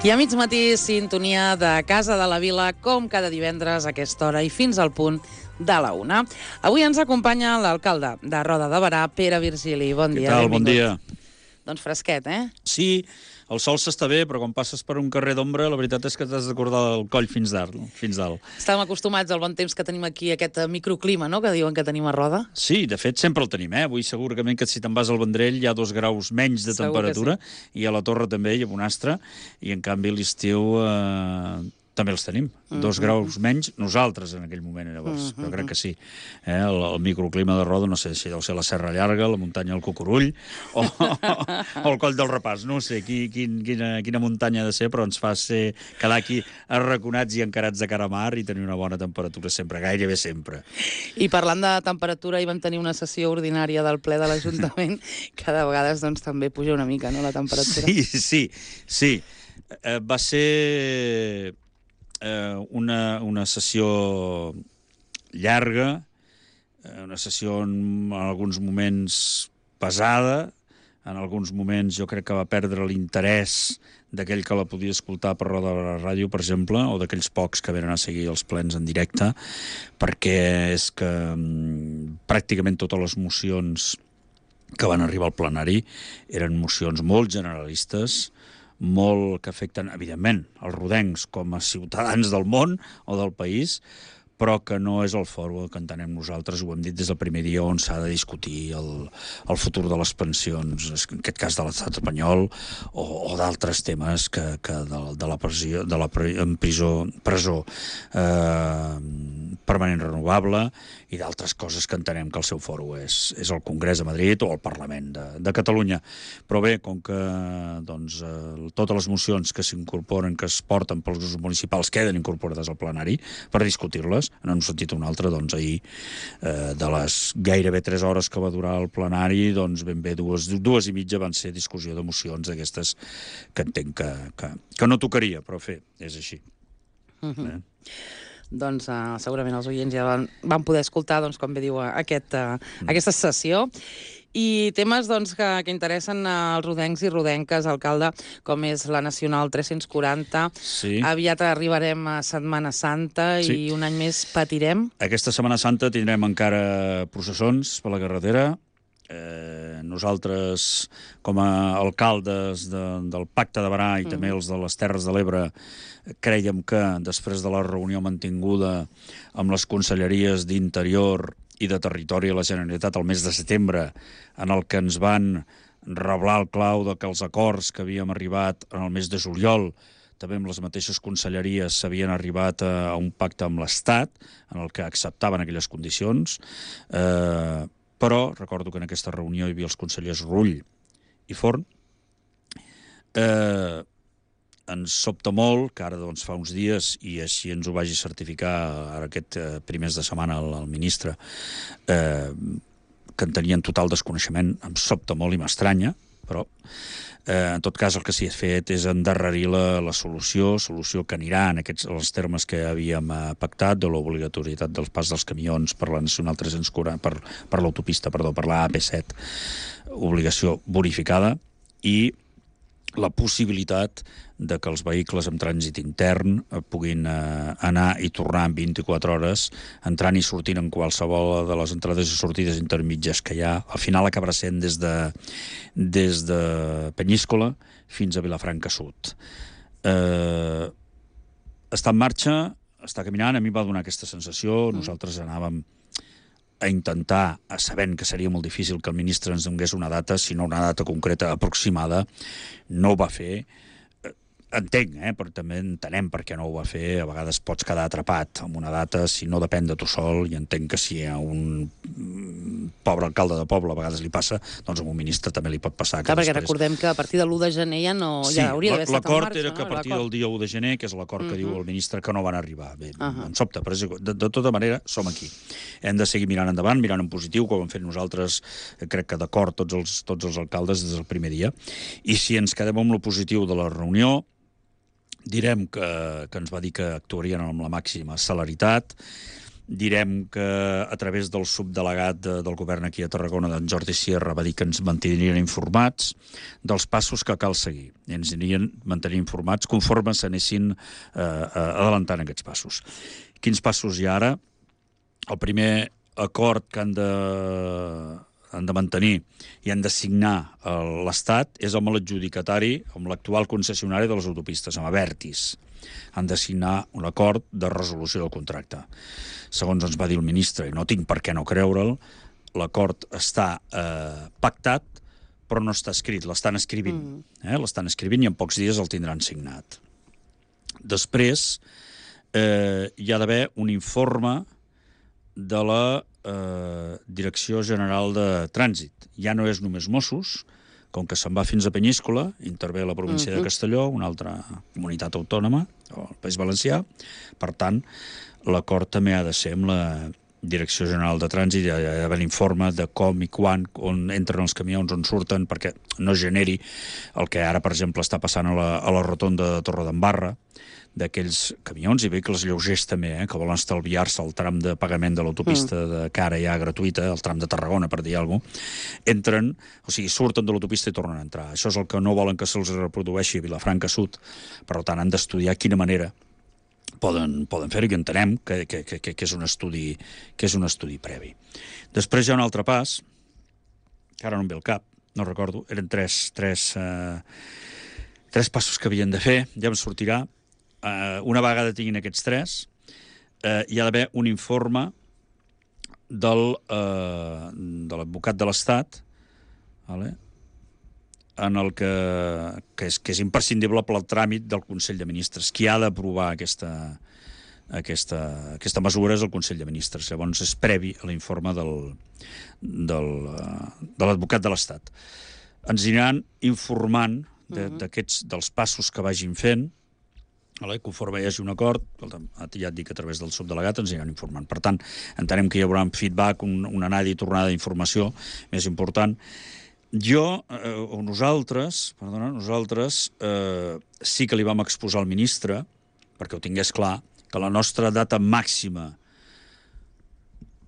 I a mig matí, sintonia de Casa de la Vila, com cada divendres a aquesta hora i fins al punt de la 1. Avui ens acompanya l'alcalde de Roda de Berà, Pere Virgili. Bon dia. Què tal? Bon dia. Doncs fresquet, eh? Sí, el sol s'està bé, però quan passes per un carrer d'ombra, la veritat és que t'has d'acordar el coll fins dalt. Estàvem acostumats al bon temps que tenim aquí, aquest microclima, no?, que diuen que tenim a Roda. Sí, de fet, sempre el tenim, eh? Avui segurament que si te'n vas al Vendrell hi ha 2 graus menys de temperatura, sí. I a la Torre també hi ha Bonastre, i en canvi l'estiu també els tenim. 2 graus menys, nosaltres en aquell moment, llavors. Jo crec que sí. El microclima de Roda, no sé si deu ser la Serra Llarga, la muntanya del Cucurull, o el Coll del Repàs. No sé quina muntanya ha de ser, però ens fa quedar aquí arraconats i encarats de cara a mar i tenir una bona temperatura sempre, gairebé sempre. I parlant de temperatura, hi vam tenir una sessió ordinària del ple de l'Ajuntament, que de vegades doncs, també puja una mica, no?, la temperatura. Sí. Va ser una sessió llarga, una sessió en alguns moments pesada, en alguns moments jo crec que va perdre l'interès d'aquell que la podia escoltar per Roda de la Ràdio, per exemple, o d'aquells pocs que venen a seguir els plens en directe, perquè és que pràcticament totes les mocions que van arribar al plenari eren mocions molt generalistes, molt que afecten, evidentment, els rodencs com a ciutadans del món o del país, però que no és el fòrum que entenem nosaltres, ho hem dit des del primer dia, on s'ha de discutir el futur de les pensions, en aquest cas de l'estat espanyol, o d'altres temes que de la presó permanent renovable i d'altres coses que entenem que el seu fòrum és el Congrés de Madrid o el Parlament de Catalunya. Però bé, com que doncs, totes les mocions que s'incorporen, que es porten pels grups municipals, queden incorporades al plenari per discutir-les, en un sentit o un altre, doncs ahir, de les gairebé 3 hores que va durar el plenari, doncs ben bé 2 i mitja van ser discussió de mocions d'aquestes que entenc que no tocaria, però és així. Doncs segurament els oients ja van poder escoltar, doncs, com bé diu, aquesta sessió. I temes doncs, que interessen als rodencs i rodenques, alcalde, com és la Nacional 340. Sí. Aviat arribarem a Setmana Santa i un any més patirem. Aquesta Setmana Santa tindrem encara processons per la carretera. Nosaltres, com a alcaldes del Pacte de Berà i també els de les Terres de l'Ebre, crèiem que després de la reunió mantinguda amb les conselleries d'Interior i de Territori a la Generalitat el mes de setembre, en el que ens van reblar el clau de que els acords que havíem arribat en el mes de juliol, també amb les mateixes conselleries, s'havien arribat a un pacte amb l'Estat, en el que acceptaven aquelles condicions, però recordo que en aquesta reunió hi havia els consellers Rull i Forn. Ens sobta molt que ara doncs, fa uns dies, i així ens ho vagi certificar ara aquest primers de setmana el ministre, que en tenien total desconeixement, em sobta molt i m'estranya, però en tot cas el que s'hi ha fet és endarrerir la solució que anirà en els termes que havíem pactat de l'obligatorietat del pas dels camions per la Nacional 340, per l'autopista, perdó, per la AP7, obligació bonificada, i la possibilitat de que els vehicles amb trànsit intern puguin anar i tornar en 24 hores, entrant i sortint en qualsevol de les entrades i sortides intermitges que hi ha. Al final acabarà sent des de Penyíscola fins a Vilafranca Sud. Està en marxa, està caminant, a mi va donar aquesta sensació, nosaltres anàvem a intentar, sabent que seria molt difícil que el ministre ens donés una data, sinó una data concreta aproximada, no ho va fer. entenc, però també entenem per què no ho va fer. A vegades pots quedar atrapat amb una data si no depèn de tu sol, i entenc que si a un pobre alcalde de poble a vegades li passa, doncs a un ministre també li pot passar. Clar, perquè recordem que a partir de l'1 de gener ja hauria d'haver estat en marxa. L'acord era que a partir del dia 1 de gener, que és l'acord que diu el ministre, que no van arribar. Bé, em sobta, però de tota manera som aquí. Hem de seguir mirant endavant, mirant en positiu, com hem fet nosaltres, crec que d'acord tots els alcaldes des del primer dia. I si ens quedem amb lo positiu de la reunió, direm que ens va dir que actuarien amb la màxima celeritat, direm que a través del subdelegat del govern aquí a Tarragona, d'en Jordi Sierra, va dir que ens mantindrien informats dels passos que cal seguir. I ens anirien mantenir informats conforme s'anessin adelantant aquests passos. Quins passos hi ha ara? El primer acord que han de mantenir i han de signar l'Estat és amb l'adjudicatari, amb l'actual concessionari de les autopistes, amb Abertis. Han de signar un acord de resolució del contracte. Segons ens va dir el ministre, i no tinc per què no creure'l, l'acord està pactat, però no està escrit, l'estan escrivint. L'estan escrivint i en pocs dies el tindran signat. Després hi ha d'haver un informe de la Direcció General de Trànsit. Ja no és només Mossos, com que se'n va fins a Penyíscola, intervé la província de Castelló, una altra comunitat autònoma, o el País Valencià. Per tant, l'acord també ha de ser amb la Direcció General de Trànsit, hi ha d'haver l'informe de com i quan, on entren els camions, on surten, perquè no generi el que ara, per exemple, està passant a la rotonda de Torredembarra, d'aquells camions i vehicles lleugers també, que volen estalviar-se el tram de pagament de l'autopista de cara ja gratuïta, el tram de Tarragona, per dir alguna cosa, entren, o sigui, surten de l'autopista i tornen a entrar. Això és el que no volen que se'ls reprodueixi a Vilafranca Sud. Per tant, han d'estudiar quina manera poden fer-ho, i entenem que és un estudi previ. Després hi ha un altre pas, que ara no em ve al cap, no recordo, eren tres passos que havien de fer, ja em sortirà. Una vegada tinguin aquests tres, hi ha d'haver un informe de l'advocat de l'Estat, en el que és imprescindible pel tràmit del Consell de Ministres. Qui ha d'aprovar aquesta mesura és el Consell de Ministres. Llavors és previ a l'informe de l'advocat de l'Estat. Ens aniran informant dels passos que vagin fent. Conforme hi hagi un acord, ja et dic, a través del subdelegat ens aniran informant. Per tant, entenem que hi haurà un feedback, una anada i tornada d'informació més important. Nosaltres sí que li vam exposar al ministre, perquè ho tingués clar, que la nostra data màxima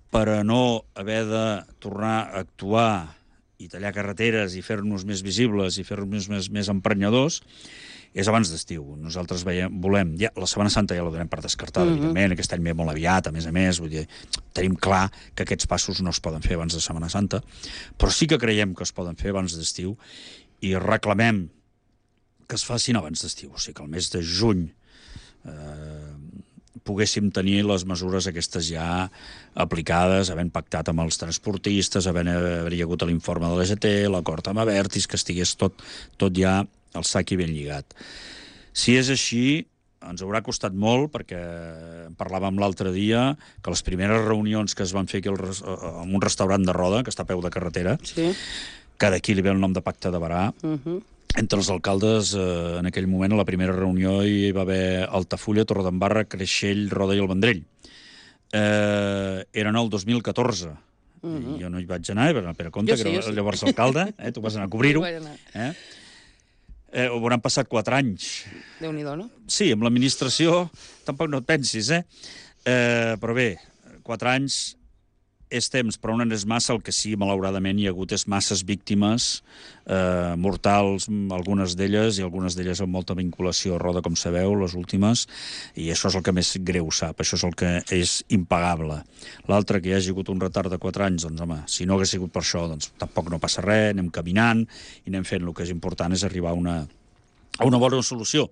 per a no haver de tornar a actuar i tallar carreteres i fer-nos més visibles i fer-nos més emprenyadors és abans d'estiu. Nosaltres volem... La Setmana Santa ja la donem per descartada, evidentment, aquest any ve molt aviat, a més, vull dir, tenim clar que aquests passos no es poden fer abans de Setmana Santa, però sí que creiem que es poden fer abans d'estiu i reclamem que es facin abans d'estiu, o sigui que el mes de juny poguéssim tenir les mesures aquestes ja aplicades, havent pactat amb els transportistes, haver-hi hagut l'informe de l'EGT, l'acord amb Abertis, que estigués tot ja el sac i ben lligat. Si és així, ens haurà costat molt, perquè parlàvem l'altre dia que les primeres reunions que es van fer aquí en un restaurant de Roda, que està a peu de carretera, que d'aquí li ve el nom de Pacte de Berà, entre els alcaldes, en aquell moment, a la primera reunió hi va haver Altafulla, Torredembarra, Creixell, Roda i el Vendrell. Eren el 2014. Jo no hi vaig anar, Pere Comte, que era llavors alcalde, tu vas anar a cobrir-ho. Hauran passat 4 anys. Déu-n'hi-do, no? Sí, amb l'administració tampoc no et pensis, però bé, 4 anys és temps, però no és massa. El que sí, malauradament, hi ha hagut és masses víctimes mortals, algunes d'elles, i algunes d'elles amb molta vinculació a Roda, com sabeu, les últimes, i això és el que més greu sap, això és el que és impagable. L'altre, que hi hagi hagut un retard de 4 anys, doncs, home, si no hagués sigut per això, doncs tampoc no passa res, anem caminant i anem fent. El que és important és arribar a a una bona solució.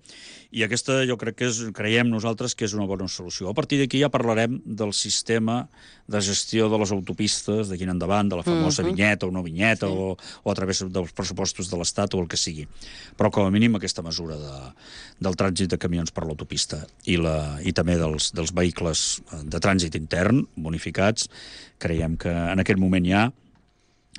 I aquesta jo crec que creiem nosaltres que és una bona solució. A partir d'aquí ja parlarem del sistema de gestió de les autopistes d'aquí en endavant, de la famosa vinyeta o no vinyeta, o a través dels pressupostos de l'Estat o el que sigui. Però com a mínim aquesta mesura del trànsit de camions per l'autopista i també dels vehicles de trànsit intern bonificats, creiem que en aquest moment ja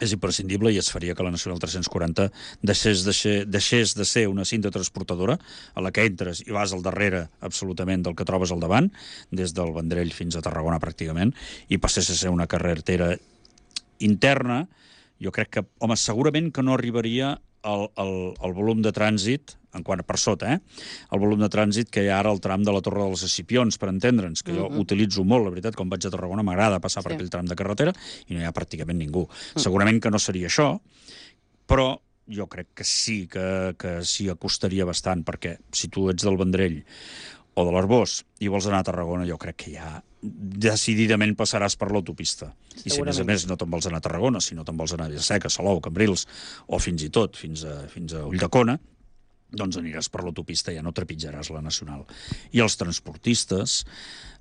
és imprescindible i es faria que la Nacional 340 deixés de ser una cinta transportadora a la que entres i vas al darrere absolutament del que trobes al davant, des del Vendrell fins a Tarragona pràcticament, i passés a ser una carretera interna. Jo crec que, home, segurament que no arribaria el volum de trànsit, en quant a per sota, el volum de trànsit que hi ha ara al tram de la Torre dels Escipions, per entendre'ns, que jo utilitzo molt, la veritat, quan vaig a Tarragona m'agrada passar per aquell tram de carretera i no hi ha pràcticament ningú. Segurament que no seria això, però jo crec que sí que s'hi acostaria bastant, perquè si tu ets del Vendrell o de l'Arboç i vols anar a Tarragona, jo crec que ja decididament passaràs per l'autopista. I si a més no te'n vols anar a Tarragona, si no te'n vols anar a Vilaseca, Salou, Cambrils, o fins i tot fins a Ulldecona, doncs aniràs per l'autopista, ja no trepitjaràs la Nacional. I els transportistes,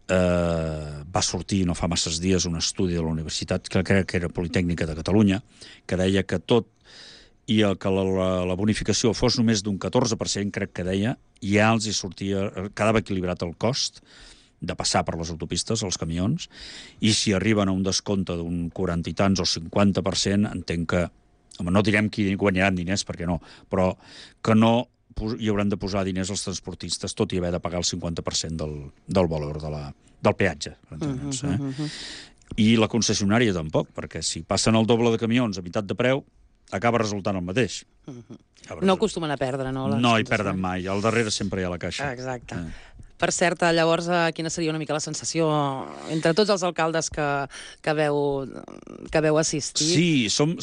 va sortir no fa masses dies un estudi de la Universitat, que crec que era Politècnica de Catalunya, que deia que tot i que la bonificació fos només d'un 14%, crec que deia, ja els hi sortia, quedava equilibrat el cost de passar per les autopistes, els camions, i si arriben a un descompte d'un 40 i tants o 50%, entenc que, home, no direm qui guanyaran diners, perquè no, però que no hi hauran de posar diners als transportistes, tot i haver de pagar el 50% del valor del peatge. I la concessionària tampoc, perquè si passen el doble de camions a meitat de preu, acaba resultant el mateix. No acostumen a perdre, no? No hi perden mai, al darrere sempre hi ha la caixa. Exacte. Per cert, llavors, quina seria una mica la sensació entre tots els alcaldes que veu assistir? Sí, som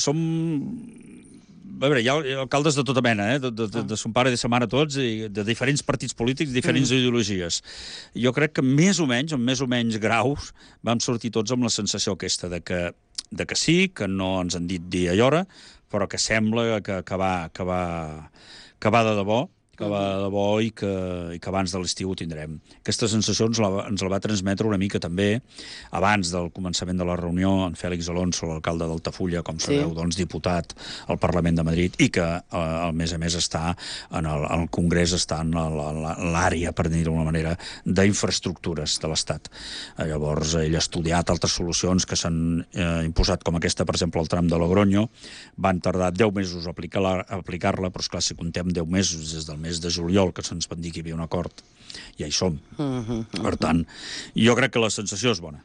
a veure, hi ha alcaldes de tota mena, de son pare i de sa mare tots, i de diferents partits polítics, diferents ideologies. Jo crec que més o menys, amb més o menys graus, vam sortir tots amb la sensació aquesta de que sí, que no ens han dit dia i hora, però que sembla que va de debò, i que abans de l'estiu ho tindrem. Aquesta sensació ens la va transmetre una mica també abans del començament de la reunió en Fèlix Alonso, l'alcalde d'Altafulla, com sabeu, doncs diputat al Parlament de Madrid, i que a més està en el Congrés, està en l'àrea, per dir-ho d'alguna manera, d'infraestructures de l'Estat. Llavors, ell ha estudiat altres solucions que s'han imposat, com aquesta, per exemple, el tram de Logroño. Van tardar 10 mesos a aplicar-la, però esclar, si contem 10 mesos des del mes de juliol, que se'ns van dir que hi havia un acord, ja hi som. Per tant, jo crec que la sensació és bona.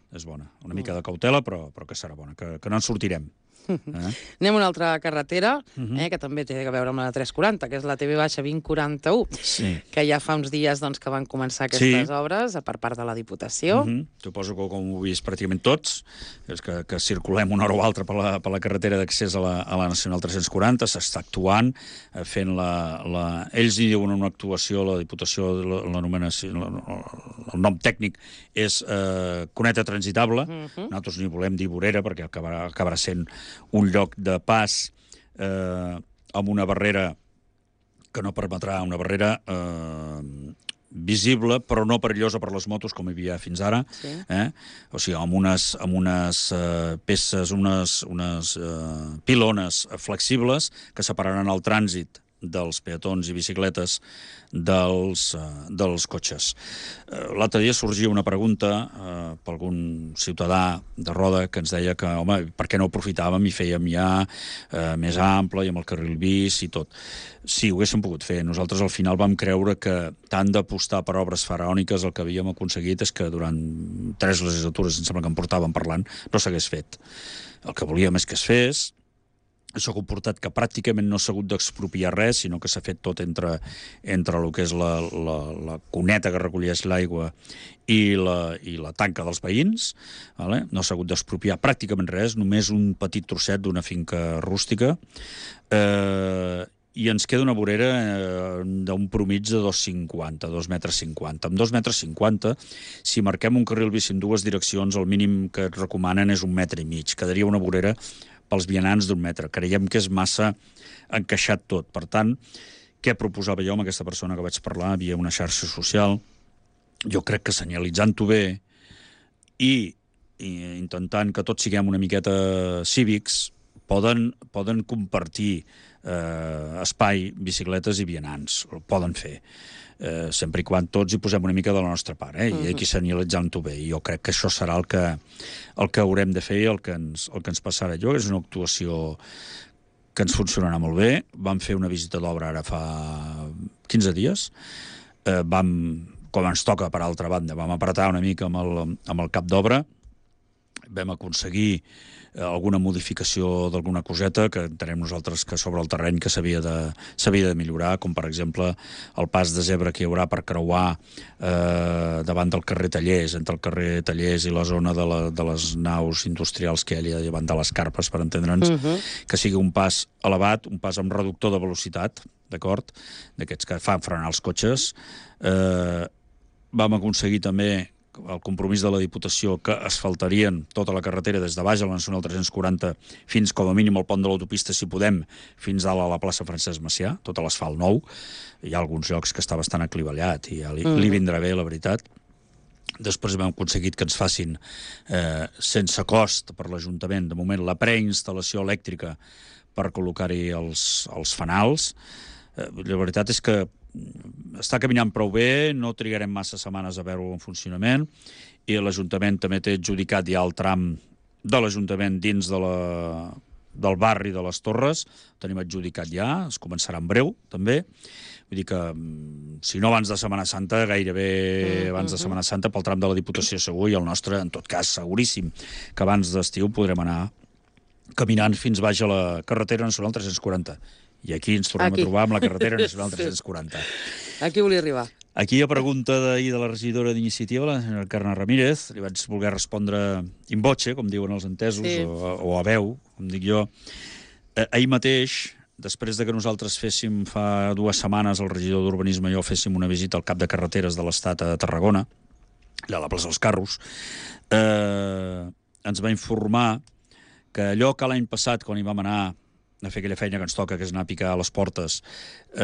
Una mica de cautela, però que serà bona, que no en sortirem. Anem a una altra carretera, que també té a veure amb la 340, que és la TV-2041, que ja fa uns dies que van començar aquestes obres per part de la Diputació. Suposo que com ho heu vist pràcticament tots, és que circulem una hora o altra per la carretera d'accés a la Nacional 340, s'està actuant, fent ells hi diuen una actuació, la Diputació, el nom tècnic és cuneta transitable, nosaltres n'hi volem dir vorera, perquè acabarà sent un lloc de pas amb una barrera que no permetrà, una barrera visible, però no perillosa per les motos, com hi havia fins ara. O sigui, amb unes peces, unes pilones flexibles que separaran el trànsit dels peatons i bicicletes dels cotxes. L'altre dia sorgia una pregunta per algun ciutadà de Roda que ens deia que, home, per què no aprofitàvem i fèiem ja més ample i amb el carril bici i tot. Sí, ho haguéssim pogut fer. Nosaltres al final vam creure que tant d'apostar per obres faraòniques el que havíem aconseguit és que durant 3 legislatures, em sembla que en portàvem parlant, no s'hagués fet. El que volíem és que es fes. Això ha comportat que pràcticament no s'ha hagut d'expropiar res, sinó que s'ha fet tot entre el que és la cuneta que recolleix l'aigua i la tanca dels veïns. No s'ha hagut d'expropiar pràcticament res, només un petit trosset d'una finca rústica. I ens queda una vorera d'un promig de 2,50, 2,50 metres. Amb 2,50 metres, si marquem un carril bici en dues direccions, el mínim que et recomanen és 1,5 metres. Quedaria una vorera pels vianants d'1 metre. Creiem que és massa encaixat tot. Per tant, què proposava jo amb aquesta persona que vaig parlar via una xarxa social. Jo crec que senyalitzant-ho bé i intentant que tots siguem una miqueta cívics, poden compartir espai, bicicletes i vianants. Ho poden fer. Sempre i quan tots hi posem una mica de la nostra part, i aquí senyalitzant-ho bé. I jo crec que això serà el que haurem de fer i el que ens passarà. Jo és una actuació que ens funcionarà molt bé. Vam fer una visita d'obra ara fa 15 dies. Com ens toca, per altra banda, vam apretar una mica amb el cap d'obra. Vam aconseguir alguna modificació d'alguna coseta que entenem nosaltres que sobre el terreny que s'havia de millorar, com per exemple el pas de zebra que hi haurà per creuar davant del carrer Tallers, entre el carrer Tallers i la zona de les naus industrials que hi ha davant de les carpes, per entendre'ns, que sigui un pas elevat, un pas amb reductor de velocitat, d'acord? D'aquests que fan frenar els cotxes. Vam aconseguir també el compromís de la Diputació que asfaltarien tota la carretera des de baix a la Nacional 340 fins com a mínim al pont de l'autopista, si podem, fins dalt a la plaça Francesc Macià, tot l'asfalt nou. Hi ha alguns llocs que està bastant aclivallat i ja li vindrà bé, la veritat. Després hem aconseguit que ens facin, sense cost per l'Ajuntament, de moment, la preinstal·lació elèctrica per col·locar-hi els fanals. La veritat és que està caminant prou bé, no trigarem massa setmanes a veure-ho en funcionament, i l'Ajuntament també té adjudicat ja el tram de l'Ajuntament dins del barri de les Torres, ho tenim adjudicat ja, es començarà en breu, també. Vull dir que, si no abans de Setmana Santa, gairebé abans de Setmana Santa, pel tram de la Diputació segur, i el nostre, en tot cas, seguríssim, que abans d'estiu podrem anar caminant fins baix a la carretera nacional 340. I aquí ens tornem a trobar amb la carretera nacional 340. Aquí volia arribar. Aquí a pregunta d'ahir de la regidora d'Iniciativa, la senyora Carme Ramírez, li vaig voler respondre in voce, com diuen els entesos, o a veu, com dic jo. Ahir mateix, després de que nosaltres féssim fa 2 setmanes, el regidor d'Urbanisme i jo féssim una visita al cap de carreteres de l'Estat a Tarragona, allà a la plaça dels Carros, ens va informar que allò que l'any passat, quan hi vam anar a fer aquella feina que ens toca, que és anar a picar a les portes,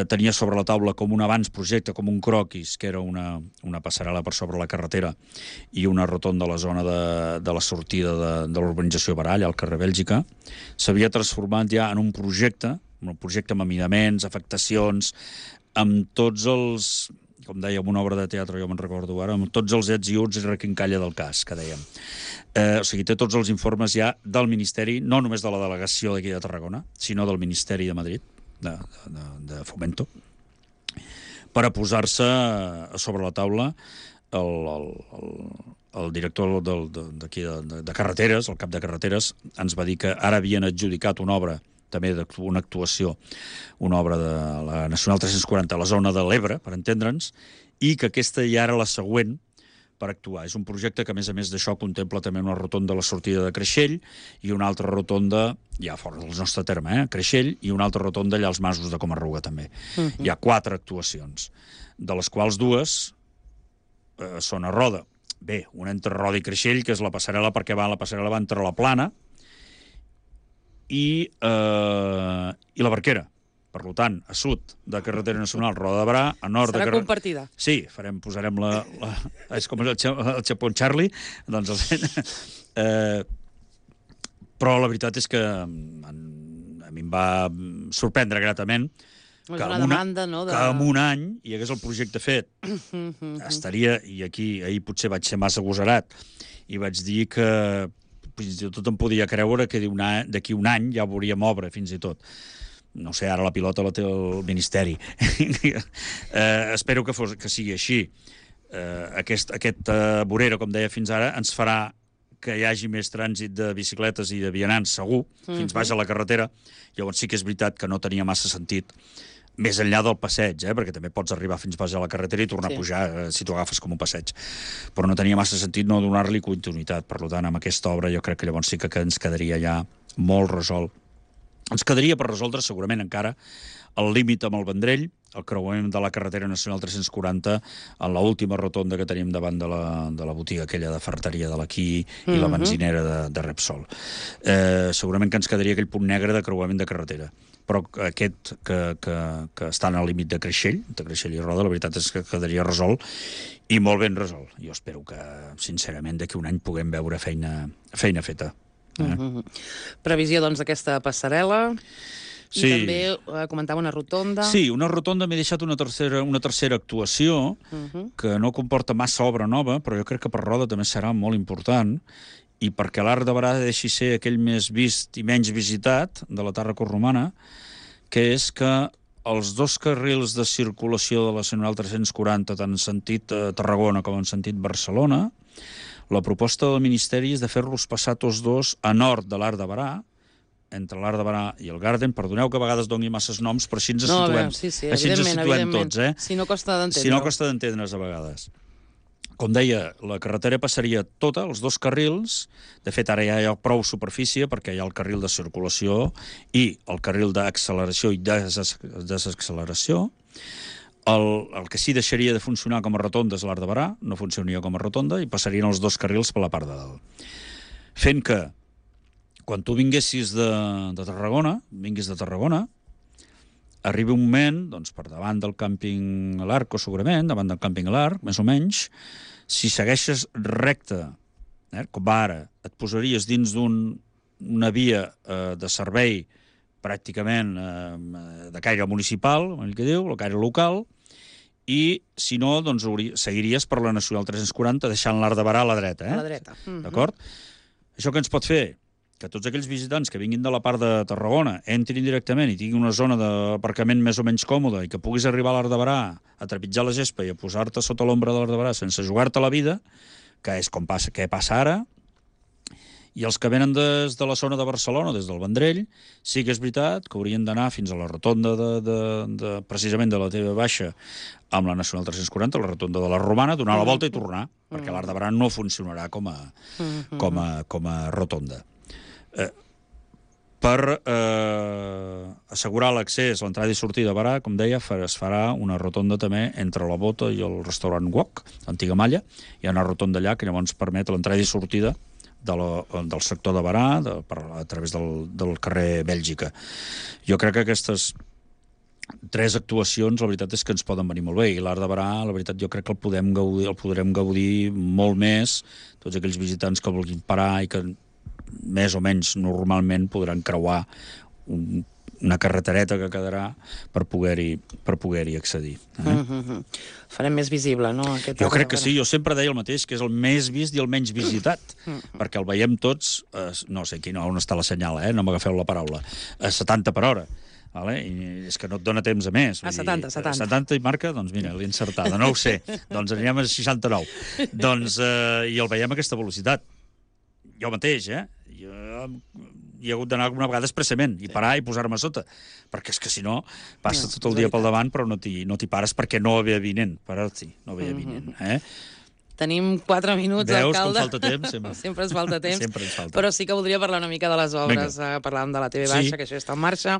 tenia sobre la taula com un abans projecte, com un croquis, que era una passarel·la per sobre la carretera i una rotonda a la zona de la sortida de l'urbanització Barall, al carrer Bèlgica, s'havia transformat ja en un projecte amb amidaments, afectacions, amb tots els, com dèiem, una obra de teatre, jo me'n recordo ara, amb tots els ets i uts i requincalla del cas, que dèiem. O sigui, té tots els informes ja del Ministeri, no només de la delegació d'aquí de Tarragona, sinó del Ministeri de Madrid, de Fomento, per a posar-se sobre la taula el director d'aquí de carreteres, el cap de carreteres, ens va dir que ara havien adjudicat una obra, també una actuació, una obra de la Nacional 340 a la zona de l'Ebre, per entendre'ns, i que aquesta ja era la següent per actuar. És un projecte que, a més d'això, contempla també una rotonda a la sortida de Creixell i una altra rotonda, ja fora del nostre terme, Creixell, i una altra rotonda allà als Masos de Comarruga, també. Hi ha 4 actuacions, de les quals 2 són a Roda. Bé, una entre Roda i Creixell, que és la passarel·la, perquè la passarel·la va entre la Plana i la Barquera. Per tant, a sud de carretera nacional Roda de Barà, a nord de... Serà compartida. Sí, posarem és com el Chapón Charlie, doncs però la veritat és que a mi em va sorprendre gratament que en un any hi hagués el projecte fet. Estaria, i aquí ahir potser vaig ser massa agosarat, i vaig dir que fins i tot em podia creure que d'aquí un any ja veuríem obra, fins i tot. No sé, ara la pilota la té el Ministeri. Espero que sigui així. Aquesta vorera, com deia fins ara, ens farà que hi hagi més trànsit de bicicletes i de vianants, segur, fins baix a la carretera. Llavors sí que és veritat que no tenia massa sentit, més enllà del passeig, perquè també pots arribar fins baix a la carretera i tornar a pujar si t'ho agafes com un passeig. Però no tenia massa sentit no donar-li continuïtat. Per tant, amb aquesta obra jo crec que llavors sí que ens quedaria ja molt resolt. Ens quedaria per resoldre segurament encara el límit amb el Vendrell, el creuament de la carretera nacional 340 en l'última rotonda que tenim davant de la botiga aquella de ferreteria de l'Aquí i la benzinera de Repsol. Segurament que ens quedaria aquell punt negre de creuament de carretera. però aquest que estan al límit de Creixell i Roda, la veritat és que quedaria resolt, i molt ben resolt. Jo espero que, sincerament, d'aquí un any puguem veure feina feta. Previsió, doncs, d'aquesta passarel·la. I també comentava una rotonda. Sí, una rotonda. M'he deixat una tercera actuació que no comporta massa obra nova, però jo crec que per Roda també serà molt important, i perquè l'Arc de Berà deixi ser aquell més vist i menys visitat de la Tàrraco Romana, que és que els 2 carrils de circulació de la Nacional 340, tant en sentit Tarragona com en sentit Barcelona, la proposta del Ministeri és de fer-los passar tots 2 a nord de l'Arc de Berà, entre l'Arc de Berà i el Garden. Perdoneu que a vegades doni masses noms, però així ens situem. Així ens situem tots, Si no costa d'entendre. Si no costa d'entendre's a vegades. Com deia, la carretera passaria tota, els 2 carrils. De fet, ara ja hi ha prou superfície, perquè hi ha el carril de circulació i el carril d'acceleració i desacceleració. El que sí deixaria de funcionar com a rotonda és l'Arc de Berà, no funcionaria com a rotonda, i passarien els 2 carrils per la part de dalt. Fent que quan tu vinguis de Tarragona, arribi un moment, doncs, per davant del càmping L'Arc, segurament, davant del càmping L'Arc, més o menys, si segueixes recte, com ara, et posaries dins d'una via de servei pràcticament de caire municipal, el que diu, el caire local, i, si no, doncs, seguiries per la Nacional 340, deixant l'Arc de Berà a la dreta. A la dreta. D'acord? Això què ens pot fer? Que tots aquells visitants que vinguin de la part de Tarragona entrin directament i tinguin una zona d'aparcament més o menys còmoda i que puguis arribar a l'Arc de Berà a trepitjar la gespa i a posar-te sota l'ombra de l'Arc de Berà sense jugar-te la vida, que és com passa ara, i els que venen des de la zona de Barcelona, des del Vendrell, sí que és veritat que haurien d'anar fins a la rotonda precisament de la TV Baixa amb la Nacional 340, la rotonda de la Romana, donar la volta i tornar, perquè l'Arc de Berà no funcionarà com a rotonda. Per assegurar l'accés, l'entrada i sortida a Berà, com deia, es farà una rotonda també entre la Bota i el restaurant Wok, l'antiga Malla. Hi ha una rotonda allà que llavors permet l'entrada i sortida del sector de Berà a través del carrer Bèlgica. Jo crec que aquestes 3 actuacions, la veritat és que ens poden venir molt bé, i l'Arc de Berà, la veritat, jo crec que el podrem gaudir molt més, tots aquells visitants que vulguin parar i que més o menys normalment podran creuar una carretereta que quedarà per poder-hi accedir. Farem més visible, no? Jo crec que sí, jo sempre deia el mateix, que és el més vist i el menys visitat, perquè el veiem tots, no sé on està la senyal, no m'agafeu la paraula, a 70 per hora. I és que no et dona temps a més. A 70. 70 i marca, doncs mira, l'he encertada, no ho sé. Doncs anirem a 69. I el veiem a aquesta velocitat. Jo mateix, jo hi he hagut d'anar alguna vegada expressament i parar i posar-me a sota, perquè és que si no passes tot el dia pel davant però no t'hi pares perquè no ve avinent, parar-t'hi, no ve avinent. Tenim 4 minuts, alcalde. Veus com falta temps? Sempre ens falta temps. Sempre ens falta. Però sí que voldria parlar una mica de les obres. Parlàvem de la TV Baixa, que això està en marxa.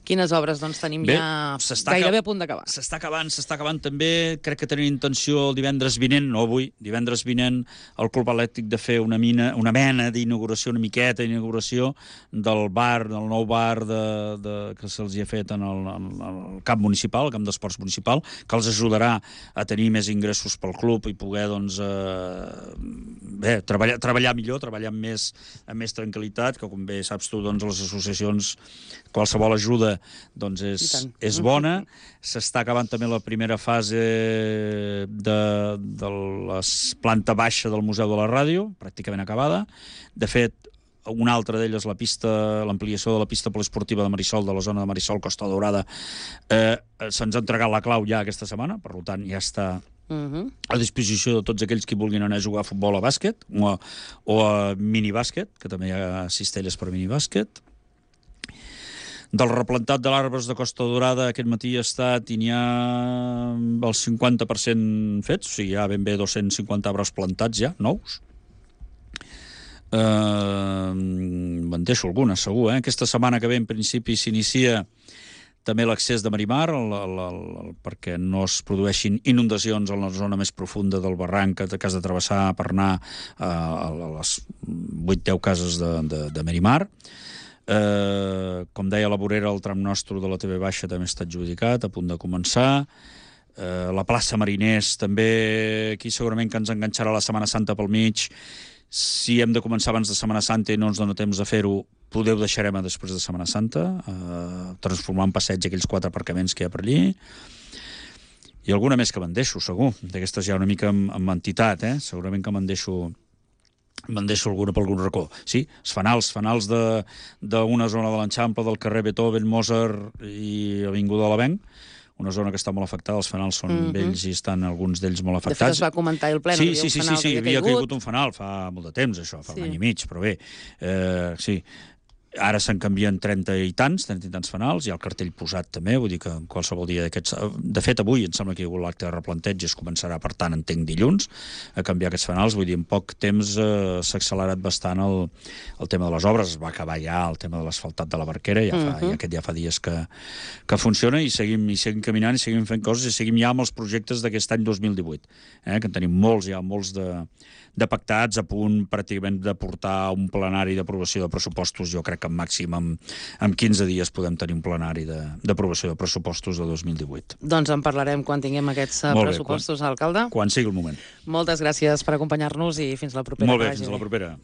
Quines obres tenim ja gairebé a punt d'acabar? S'està acabant també. Crec que tenim intenció divendres vinent, no avui, divendres vinent, el Club Elèctric de fer una mena d'inauguració, una miqueta d'inauguració del nou bar que se'ls hi ha fet en el camp municipal, el camp d'esports municipal, que els ajudarà a tenir més ingressos pel club i poder, doncs, treballar millor, treballar amb més tranquil·litat, que com bé saps tu, doncs, les associacions, qualsevol ajuda doncs és bona. S'està acabant també la primera fase de la planta baixa del Museu de la Ràdio, pràcticament acabada. De fet, una altra d'elles, l'ampliació de la pista poliesportiva de Marisol, de la zona de Marisol, Costa Daurada, se'ns ha entregat la clau ja aquesta setmana, per tant ja està a disposició de tots aquells que vulguin anar a jugar a futbol, a bàsquet o a minibàsquet, que també hi ha cistelles per minibàsquet. Del replantat de l'arbres de Costa Daurada aquest matí ha estat i n'hi ha el 50% fets, o sigui, hi ha ben bé 250 arbres plantats ja, nous. Me'n deixo algunes, segur. Aquesta setmana que ve, en principi, s'inicia també l'accés de Marimar, perquè no es produeixin inundacions en la zona més profunda del barranc que has de travessar per anar a les 8-10 cases de Marimar. Com deia la vorera, el tram nostre de la TV Baixa també està adjudicat, a punt de començar. La plaça Mariners també, aquí segurament que ens enganxarà la Setmana Santa pel mig. Si hem de començar abans de Setmana Santa i no ens dona temps de fer-ho, poder ho deixarem a després de Setmana Santa, transformar en passeig aquells 4 aparcaments que hi ha per allí. I alguna més que me'n deixo, segur. D'aquestes ja una mica amb entitat, segurament que me'n deixo alguna per algun racó. Sí, els fanals d'una zona de l'Enxample, del carrer Beethoven, Mozart i Avinguda de l'Avenc, una zona que està molt afectada, els fanals són vells i estan alguns d'ells molt afectats. De fet, es va comentar el ple, sí, havia caigut un fanal fa molt de temps, això, fa un any i mig, però bé, sí. Ara se'n canvien 30 i tants fanals, hi ha el cartell posat també, vull dir que en qualsevol dia d'aquests... De fet, avui em sembla que hi ha hagut l'acte de replanteig i es començarà, per tant, entenc, dilluns, a canviar aquests fanals. Vull dir, en poc temps s'ha accelerat bastant el tema de les obres. Es va acabar ja el tema de l'asfaltat de la Barquera, aquest ja fa dies que funciona, i seguim caminant, i seguim fent coses, i seguim ja amb els projectes d'aquest any 2018, que en tenim molts de pactats, a punt pràcticament de portar un plenari d'aprovació de pressupostos. Jo crec que màxim en 15 dies podem tenir un plenari d'aprovació de pressupostos de 2018. Doncs en parlarem quan tinguem aquests pressupostos, alcalde. Quan sigui el moment. Moltes gràcies per acompanyar-nos i fins la propera. Molt bé, fins la propera.